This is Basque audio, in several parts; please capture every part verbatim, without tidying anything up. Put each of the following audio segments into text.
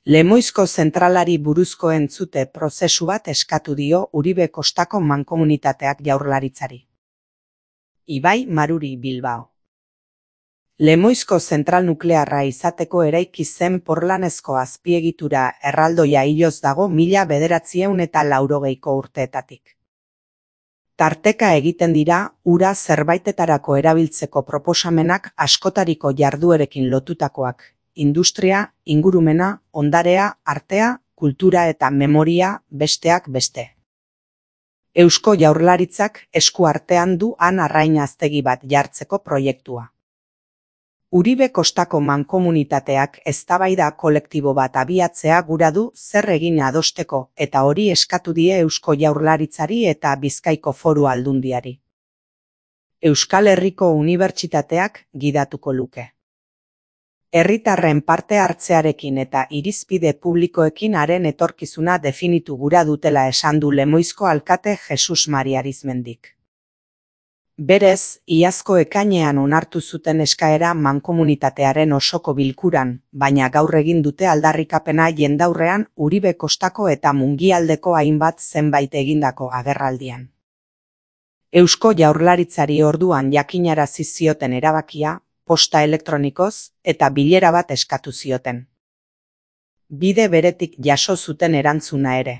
Lemoizko zentralari buruzko entzute prozesu bat eskatu dio Uribe Kostako mankomunitateak Jaurlaritzari. Ibai Maruri, Bilbao. Lemoizko zentral nuklearra izateko eraiki zen porlanezko azpiegitura erraldoia hiloz dago mila bederatziehun eta laurogeiko urteetatik. Tarteka egiten dira ura zerbaitetarako erabiltzeko proposamenak askotariko jarduerekin lotutakoak. Industria, ingurumena, ondarea, artea, kultura eta memoria, besteak beste. Eusko Jaurlaritzak esku artean du han arrain aztegi bat jartzeko proiektua. Uribe Kostako mankomunitateak eztabaida kolektibo bat abiatzea gura du zer egin adosteko eta hori eskatu die Eusko Jaurlaritzari eta Bizkaiko Foru Aldundiari. Euskal Herriko Unibertsitateak gidatuko luke. Herritarren parte hartzearekin eta irizpide publikoekin haren etorkizuna definitu gura dutela esan du Lemoizko alkate Jesus Mari Arizmendik. Berez, iazko ekainean onartu zuten eskaera mankomunitatearen osoko bilkuran, baina gaur egin dute aldarrikapena jendaurrean Uribe Kostako eta Mungialdeko hainbat zenbait egindako agerraldian. Eusko Jaurlaritzari orduan jakinarazi zioten erabakia, posta elektronikoz eta bilera bat eskatu zioten. Bide beretik jaso zuten erantzuna ere.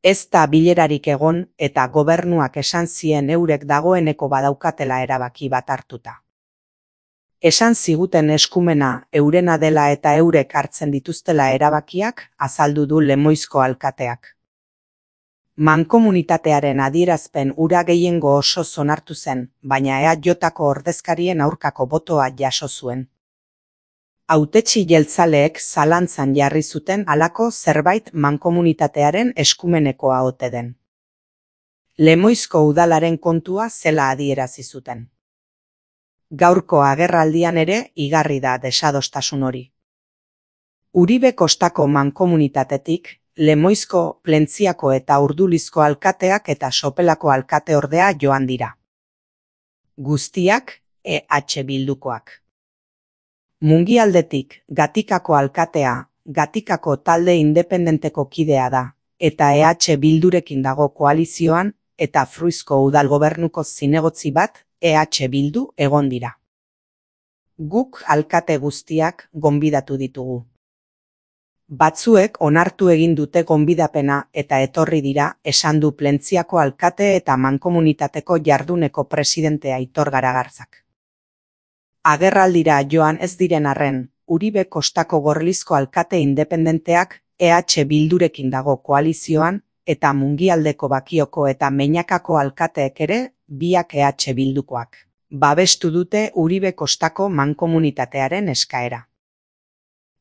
Ez da bilerarik egon eta gobernuak esan zien eurek dagoeneko badaukatela erabaki bat hartuta. Esan ziguten eskumena eurena dela eta eurek hartzen dituztela erabakiak azaldu du Lemoizko alkateak. Mankomunitatearen adierazpen ura gehiengo oso onartu zen, baina E A Jko ordezkarien aurkako botoa jaso zuen. Hautetsi jeltzaleek zalantzan jarri zuten halako zerbait mankomunitatearen eskumenekoa ote den. Lemoizko udalaren kontua zela adierazi zuten. Gaurko agerraldian ere igarri da desadostasun hori. Uribe Kostako mankomunitatetik, Lemoizko, Plentziako eta Urdulizko alkateak eta Sopelako alkate ordea joan dira. Guztiak E H Bildukoak. Mungialdetik Gatikako alkatea, Gatikako talde independenteko kidea da, eta E H Bildurekin dago koalizioan, eta Fruizko udal gobernuko zinegotzi bat E H Bildu egon dira. Guk alkate guztiak gonbidatu ditugu. Batzuek onartu egin dute gonbidapena eta etorri dira, esan du Plentziako alkate eta mankomunitateko jarduneko presidente Aitor Garagarzak. Agerraldira joan ez diren arren, Uribe Kostako Gorlizko alkate independenteak E H Bildurekin dago koalizioan, eta Mungialdeko Bakioko eta Meñakako alkateek ere, biak E H Bildukoak. Babestu dute Uribe Kostako mankomunitatearen eskaera.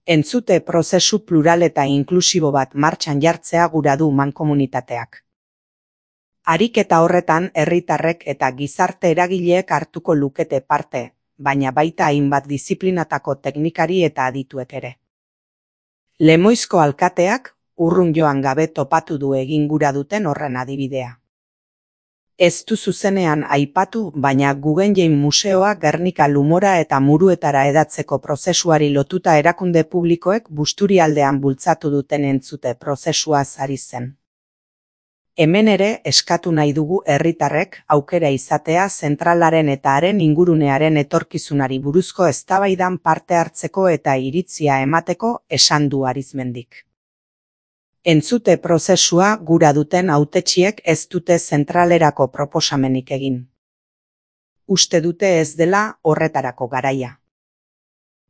Entzute prozesu plural eta inklusibo bat martxan jartzea gura du mankomunitateak. Ariketa horretan herritarrek eta gizarte eragileek hartuko lukete parte, baina baita hainbat diziplinatako teknikari eta adituek ere. Lemoizko alkateak urrun joan gabe topatu du egin gura duten horren adibidea. Ez du zuzenean aipatu, baina Guggenheim Museoa Gernika Lumora eta Muruetara edatzeko prozesuari lotuta erakunde publikoek Busturialdean bultzatu duten entzute prozesua ari zen. Hemen ere eskatu nahi dugu herritarrek aukera izatea zentralaren eta haren ingurunearen etorkizunari buruzko eztabaidan parte hartzeko eta iritzia emateko esan du Arizmendik. Entzute prozesua gura duten hautetsiek ez dute zentralerako proposamenik egin. Uste dute ez dela horretarako garaia.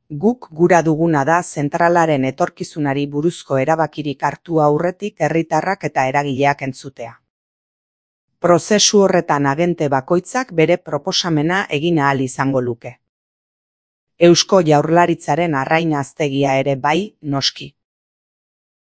Guk gura duguna da zentralaren etorkizunari buruzko erabakirik hartu aurretik herritarrak eta eragileak entzutea. Prozesu horretan agente bakoitzak bere proposamena egin ahal izango luke. Eusko Jaurlaritzaren arrain aztegia ere bai, noski.